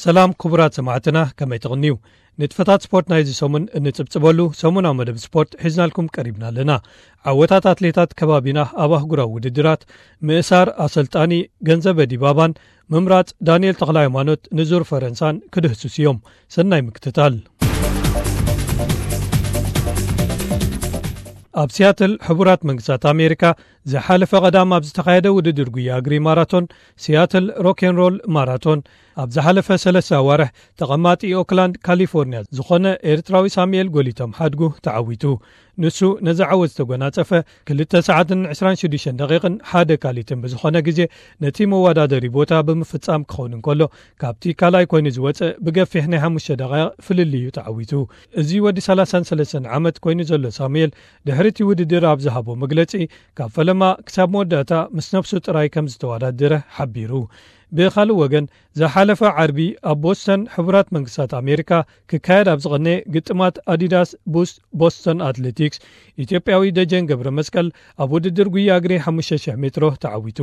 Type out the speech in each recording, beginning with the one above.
ሰላም ክቡራት ሰማዕትና፣ ከመይ ትቕንዩ? ንጥፈታት ስፖርት ናይዚ ሰሙን እንጽብጽበሉ ሰሙናዊ መደብ ስፖርት ሒዝናልኩም ቀሪብና ኣለና። ዓወታት ኣትሌታት ከባቢና ኣብ ኣህጉራዊ ውድድራት፣ ምእሳር ኣሰልጣኒ ገንዘበ ዲባባን ምምራጽ ዳንኤል ተኽለ ሃይማኖት ንዙር ፈረንሳን ክድህስስ እዮም። ሰናይ ምክትታል። ኣብ ሲያትል ሕቡራት መንግስታት ኣሜሪካ ዝሓለፈ ቀዳም ኣብ ዝተኻየደ ውድድር ጉያ እግሪ ማራቶን፣ ሲያትል ሮኬንሮል ማራቶን፣ ኣብ ዝሓለፈ ሰለስተ ኣዋርሕ ተቐማጢ ኦክላንድ ካሊፎርኒያ ዝኾነ ኤርትራዊ ሳሙኤል ጎሊቶም ሓድጉ ተዓዊቱ። ንሱ ነዚ ዓወት ዝተጎናጸፈ ክልተ ሰዓትን ዕስራን ሽዱሽተን ደቂቕን ሓደ ካሊትን ብዝኾነ ግዜ ነቲ መወዳደሪ ቦታ ብምፍጻም ክኸውን እንከሎ፣ ካብቲ ካልኣይ ኮይኑ ዝወጸ ብገፊሕ ናይ ሓሙሽተ ደቂቕ ፍልልይ እዩ ተዓዊቱ። እዚ ወዲ ሰላሳን ሰለስተን ዓመት ኮይኑ ዘሎ ሳሙኤል ድሕሪ እቲ ውድድር ኣብ ዝሃቦ መግለጺ፣ ካብ ፈለማ ክሳብ መወዳእታ ምስ ነብሱ ጥራይ ከም ዝተወዳደረ ሓቢሩ። ብኻልእ ወገን፣ ዝሓለፈ ዓርቢ ኣብ ቦስተን ሕቡራት መንግስታት ኣሜሪካ ክካየድ ኣብ ዝቐነ ግጥማት ኣዲዳስ ቡስት ቦስተን ኣትሌቲክስ፣ ኢትዮጵያዊ ደጀን ገብረ መስቀል ኣብ ውድድር ጉያ እግሪ ሓሙሽተ ሽሕ ሜትሮ ተዓዊቱ።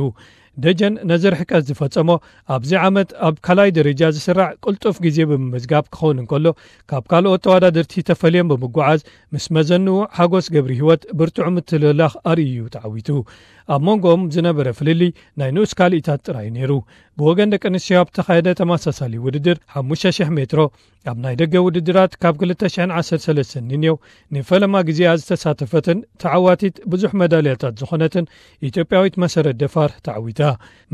ደጀን ነዚ ርሕቀት ዝፈጸሞ ኣብዚ ዓመት ኣብ ካልኣይ ደረጃ ዝስራዕ ቅልጡፍ ግዜ ብምምዝጋብ ክኸውን እንከሎ፣ ካብ ካልኦት ተወዳደርቲ ተፈልዮም ብምጉዓዝ ምስ መዘንኡ ሓጎስ ገብሪ ህይወት ብርቱዕ ምትልላኽ ኣርእዩ ተዓዊቱ። ኣብ መንጎኦም ዝነበረ ፍልልይ ናይ ንኡስ ካልኢታት ጥራይ ነይሩ። ብወገን ደቂ ኣንስትዮ ኣብ ተኻየደ ተመሳሳሊ ውድድር ሓሙሽተ ሽሕ ሜትሮ ኣብ ናይ ደገ ውድድራት ካብ ክልተ ሽሕን ዓሰርተ ሰለስተን ንንየው ንፈለማ ግዜኣ ዝተሳተፈትን ተዓዋቲት ብዙሕ መዳልያታት ዝኾነትን ኢትዮጵያዊት መሰረት ደፋር ተዓዊታ።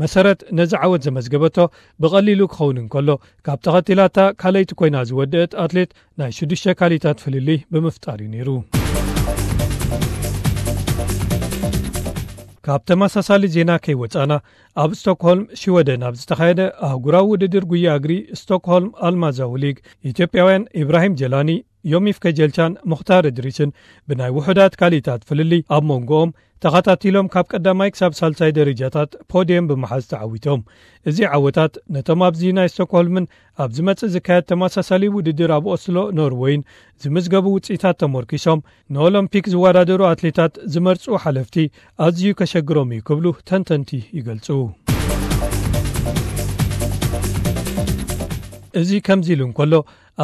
መሰረት ነዚ ዓወት ዘመዝገበቶ ብቐሊሉ ክኸውን እንከሎ፣ ካብ ተኸቲላታ ካልኣይቲ ኮይና ዝወደአት ኣትሌት ናይ ሽዱሽተ ካልኢታት ፍልልይ ብምፍጣር እዩ ነይሩ። ካብ ተመሳሳሊ ዜና ከይወጻና፣ ኣብ ስቶክሆልም ሽወደን ኣብ ዝተኻየደ ኣህጉራዊ ውድድር ጉያ እግሪ ስቶክሆልም ኣልማዛዊ ሊግ፣ ኢትዮጵያውያን ኢብራሂም ጀላኒ፣ ዮሚፍ ከጀልቻን ሙኽታር እድሪስን ብናይ ውሑዳት ካልኢታት ፍልልይ ኣብ መንጎኦም ተኸታቲሎም ካብ ቀዳማይ ክሳብ ሳልሳይ ደረጃታት ፖድየም ብምሓዝ ተዓዊቶም። እዚ ዓወታት ነቶም ኣብዚ ናይ ስቶክሆልምን ኣብ ዝመጽእ ዝካየድ ተመሳሳሊ ውድድር ኣብ ኦስሎ ኖርወይን ዝምዝገቡ ውጽኢታት ተመርኪሶም ንኦሎምፒክ ዝወዳደሩ ኣትሌታት ዝመርጹ ሓለፍቲ ኣዝዩ ከሸግሮም እዩ ክብሉ ተንተንቲ ይገልጹ። እዚ ከምዚ ኢሉ እንከሎ፣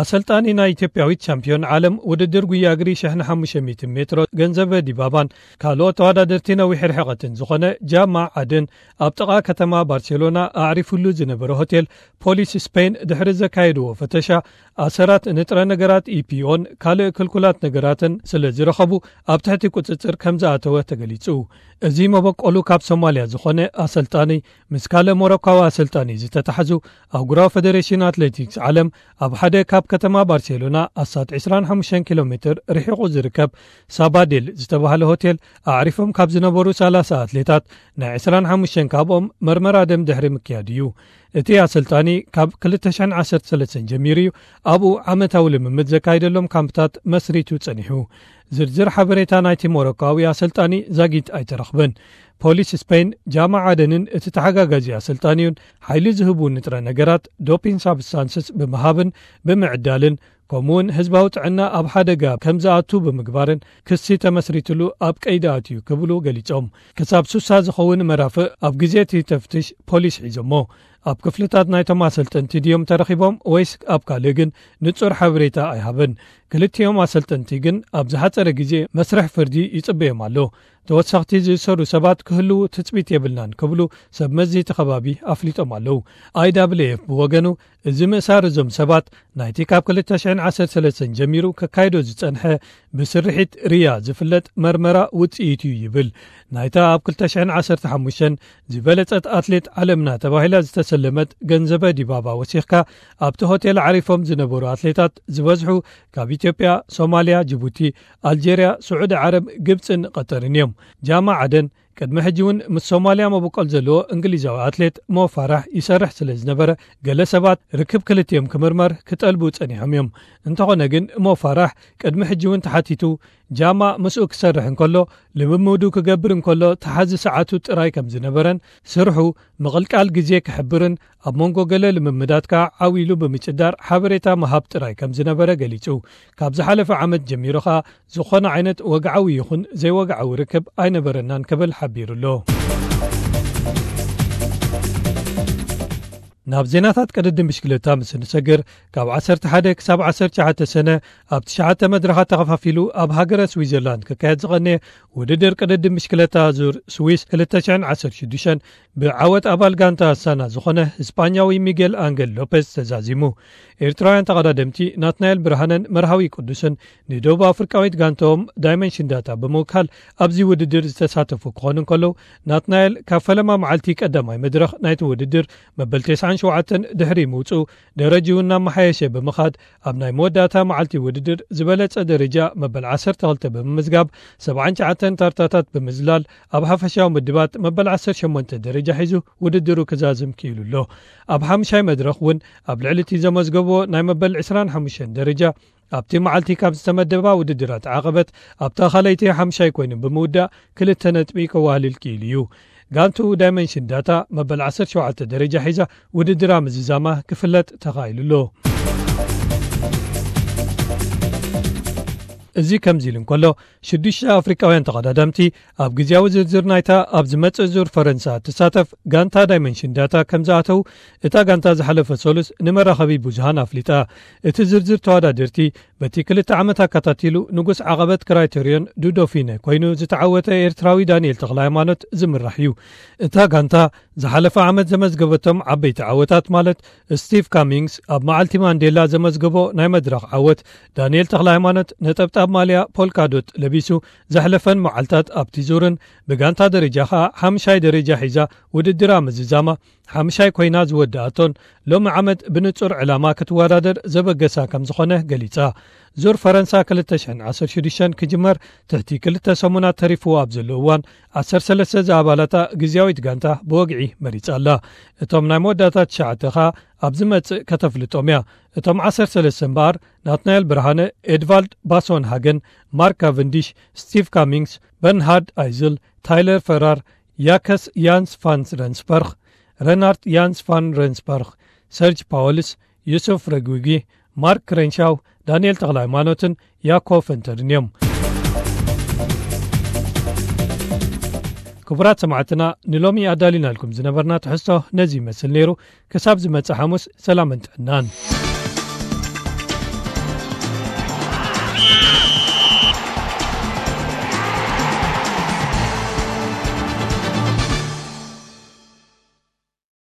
ኣሰልጣኒ ናይ ኢትዮጵያዊት ቻምፒዮን ዓለም ውድድር ጉያ እግሪ ሽሕን ሓሙሽተ ሚእትን ሜትሮ ገንዘበ ዲባባን ካልኦት ተወዳደርቲ ነዊሕ ርሕቐትን ዝኾነ ጃማ ዓደን ኣብ ጥቓ ከተማ ባርሴሎና ኣዕሪፉሉ ዝነበረ ሆቴል ፖሊስ ስፔን ድሕሪ ዘካየድዎ ፈተሻ፣ ኣሰራት ንጥረ ነገራት ኢፒኦን ካልእ ክልኩላት ነገራትን ስለ ዝረኸቡ ኣብ ትሕቲ ቁጽጽር ከም ዝኣተወ ተገሊጹ። እዚ መበቆሉ ካብ ሶማልያ ዝኾነ ኣሰልጣኒ ምስ ካልእ ሞሮካዊ ኣሰልጣኒ ዝተታሕዙ ኣህጉራዊ ፈደሬሽን ኣትሌቲክስ ዓለም ኣብ ሓደ ካብ ከተማ ባርሴሎና ኣስታት ዕስራን ሓሙሽተን ኪሎ ሜትር ርሒቑ ዝርከብ ሳባዴል ዝተባህለ ሆቴል ኣዕሪፎም ካብ ዝነበሩ ሰላሳ ኣትሌታት ናይ ዕስራን ሓሙሽተን ካብኦም መርመራ ደም ድሕሪ ምክያድ እዩ። እቲ ኣሰልጣኒ ካብ ክልተ ሽሕን ዓሰርተ ሰለስተን ጀሚሩ እዩ ኣብኡ ዓመታዊ ልምምድ ዘካይደሎም ካምፕታት መስሪቱ ጸኒሑ። ዝርዝር ሓበሬታ ናይቲ ሞሮካዊ ኣሰልጣኒ ዛጊት ኣይተረኽበን። ፖሊስ ስፔን ጃማ ዓደንን እቲ ተሓጋጋዚ ኣሰልጣኒኡን ሓይሊ ዝህቡ ንጥረ ነገራት፣ ዶፒን ሳብስታንስስ፣ ብምሃብን ብምዕዳልን ከምኡውን ህዝባዊ ጥዕና ኣብ ሓደጋ ከም ዝኣቱ ብምግባርን ክሲ ተመስሪትሉ ኣብ ቀይዲ ኣትዩ ክብሉ ገሊጾም። ክሳብ ሱሳ ዝኸውን መራፍእ ኣብ ግዜ እቲ ተፍትሽ ፖሊስ ሒዞሞ። ኣብ ክፍልታት ናይቶም ኣሰልጠንቲ ድዮም ተረኺቦም ወይስ ኣብ ካልእ ግን ንጹር ሓበሬታ ኣይሃበን። ክልቲኦም ኣሰልጠንቲ ግን ኣብ ዝሓጸረ ግዜ መስርሕ ፍርዲ ይጽበዮም ኣሎ። ተወሰኽቲ ዝእሰሩ ሰባት ክህልዉ ትጽቢት የብልናን ክብሉ ሰብ መዚ እቲ ከባቢ ኣፍሊጦም ኣለዉ። ኣይዳብልኤፍ ብወገኑ እዚ ምእሳር እዞም ሰባት ናይቲ ካብ ክልተ ሽሕን ዓሰርተ ሰለስተን ጀሚሩ ከካይዶ ዝጸንሐ ብስርሒት ርያ ዝፍለጥ መርመራ ውጽኢት እዩ ይብል። ናይታ ኣብ ክልተ ሽሕን ዓሰርተ ሓሙሽተን ዝበለጸት ኣትሌት ዓለምና ተባሂላ ዝተሰለመት ገንዘበ ዲባባ ወሲኽካ ኣብቲ ሆቴል ዓሪፎም ዝነበሩ ኣትሌታት ዝበዝሑ ካብ ኢትዮጵያ፣ ሶማልያ፣ ጅቡቲ፣ ኣልጀርያ፣ ስዑዲ ዓረብ፣ ግብጽን ቀጠርን እዮም። ጃማ ዓደን ቅድሚ ሕጂ እውን ምስ ሶማልያ መበቆል ዘለዎ እንግሊዛዊ ኣትሌት ሞ ፋራሕ ይሰርሕ ስለ ዝነበረ፣ ገለ ሰባት ርክብ ክልቲኦም ክምርመር ክጠልቡ ጸኒሖም እዮም። እንተኾነ ግን ሞ ፋራሕ ቅድሚ ሕጂ እውን ተሓቲቱ፣ ጃማ ምስኡ ክሰርሕ እንከሎ፣ ልምምዱ ክገብር እንከሎ ተሓዚ ሰዓቱ ጥራይ ከም ዝነበረን ስርሑ ምቕልቃል ግዜ ክሕብርን ኣብ መንጎ ገለ ልምምዳት ከኣ ዓው ኢሉ ብምጭዳር ሓበሬታ ምሃብ ጥራይ ከም ዝነበረ ገሊጹ። ካብ ዝሓለፈ ዓመት ጀሚሩ ከኣ ዝኾነ ዓይነት ወግዓዊ ይኹን ዘይወግዓዊ ርክብ ኣይነበረናን ክብል ሓቢሩ ኣሎ። ናብ ዜናታት ቅድድም ብሽክለታ ምስ እንሰግር፣ ካብ ዓሰርተ ሓደ ክሳብ ዓሰርተ ትሽዓተ ሰነ ኣብ ትሽዓተ መድረኻት ተኸፋፊሉ ኣብ ሃገረ ስዊዘርላንድ ክካየድ ዝቐነየ ውድድር ቅድድም ብሽክለታ ዙር ስዊስ ክልተ ሽሕን ዓሰርተ ሽዱሽተን ብዓወት ኣባል ጋንታ ኣሳና ዝኾነ ስጳኛዊ ሚጌል ኣንገል ሎፔዝ ተዛዚሙ። ኤርትራውያን ተቐዳደምቲ ናትናኤል ብርሃነን መርሃዊ ቅዱስን ንደቡብ ኣፍሪቃዊት ጋንታኦም ዳይመንሽን ዳታ ብምውካል ኣብዚ ውድድር ዝተሳተፉ ክኾኑ እንከለዉ፣ ናትናኤል ካብ ፈለማ መዓልቲ ቀዳማይ መድረኽ ናይቲ ውድድር መበል ተስዓን ሸውዓተን ድሕሪ ምውጽኡ፣ ደረጅኡ እናመሓየሸ ብምኻድ፣ ኣብ ናይ መወዳእታ መዓልቲ ውድድር ዝበለጸ ደረጃ መበል ዓሰርተ ክልተ ብምምዝጋብ፣ ሰብዓን ትሽዓተን ታርታታት ብምዝላል፣ ኣብ ሓፈሻዊ ምድባት መበል ዓሰርተ ሸሞንተ ደረጃ ሒዙ ውድድሩ ክዛዝም ክኢሉ ኣሎ። ኣብ ሓምሻይ መድረኽ እውን ኣብ ልዕሊ እቲ ዘመዝገቦ ናይ መበል ዕስራን ሓሙሽተን ደረጃ፣ ኣብቲ መዓልቲ ካብ ዝተመደባ ውድድራት ዓቐበት ኣብታ ካልኣይቲ ሓምሻይ ኮይኑ ብምውዳእ ክልተ ነጥቢ ከዋህልል ክኢሉ እዩ። ጋንቱ ዳይመንሽን ዳታ መበል ዓሰርተ ሸውዓተ ደረጃ ሒዛ ውድድራ ምዝዛማ ክፍለጥ ተኻኢሉ ኣሎ። እዚ ከምዚ ኢሉ እንከሎ፣ ሽዱሽተ ኣፍሪቃውያን ተቐዳደምቲ ኣብ ግዜያዊ ዝርዝር ናይታ ኣብ ዝመጽእ ዙር ፈረንሳ እትሳተፍ ጋንታ ዳይመንሽን ዳታ ከም ዝኣተው እታ ጋንታ ዝሓለፈ ሰሉስ ንመራኸቢ ብዙሃን ኣፍሊጣ። እቲ ዝርዝር ተወዳደርቲ በቲ ክልተ ዓመት ኣከታቲሉ ንጉስ ዓቐበት ክራይተርዮን ዱዶፊነ ኮይኑ ዝተዓወተ ኤርትራዊ ዳንኤል ተኽለ ሃይማኖት ዝምራሕ እዩ። እታ ጋንታ ዝሓለፈ ዓመት ዘመዝገበቶም ዓበይቲ ዓወታት ማለት ስቲቭ ካሚንግስ ኣብ መዓልቲ ማንዴላ ዘመዝገቦ ናይ መድረኽ ዓወት፣ ዳንኤል ተኽለ ሃይማኖት ነጠብጣብ ማልያ ፖልካዶት ለቢሱ ዘሕለፈን መዓልታት ኣብቲ ዙርን ብጋንታ ደረጃ ኸኣ ሓምሻይ ደረጃ ሒዛ ውድድራ ምዝዛማ ሓምሻይ ኮይና ዝወደኣቶን ሎሚ ዓመት ብንጹር ዕላማ ክትወዳደር ዘበገሳ ከም ዝኾነ ገሊጻ። ዙር ፈረንሳ ክልተ ሽሕን ዓሰርተ ሽዱሽተን ክጅመር ትሕቲ ክልተ ሰሙናት ተሪፍዎ ኣብ ዘሎ እዋን፣ ዓሰርተ ሰለስተ ዝኣባላታ ግዝያዊት ጋንታ ብወግዒ መሪጻ ኣላ። እቶም ናይ መወዳእታ ትሽዓተ ኸኣ ኣብ ዝመጽእ ከተፍልጦም እያ። እቶም ዓሰርተ ሰለስተ እምበኣር፣ ናትናኤል ብርሃነ፣ ኤድቫልድ ባሶን ሃገን፣ ማርክ ካቨንዲሽ፣ ስቲቭ ካሚንግስ፣ በርንሃርድ ኣይዝል፣ ታይለር ፈራር፣ ያከስ ያንስ ፋን ረንስበርግ፣ ረናርድ ያንስ ፋን ረንስበርግ፣ ሰርጅ ፓወልስ፣ ዩሱፍ ረጉጊ፣ ማርክ ክሬንሻው፣ ዳንኤል ተኽለ ሃይማኖትን ያኮ ፈንተርን እዮም። ክቡራት ሰማዕትና፣ ንሎሚ ኣዳሊናልኩም ዝነበርና ትሕዝቶ ነዚ ይመስል ነይሩ። ክሳብ ዝመጽእ ሓሙስ፣ ሰላምን ጥዕናን።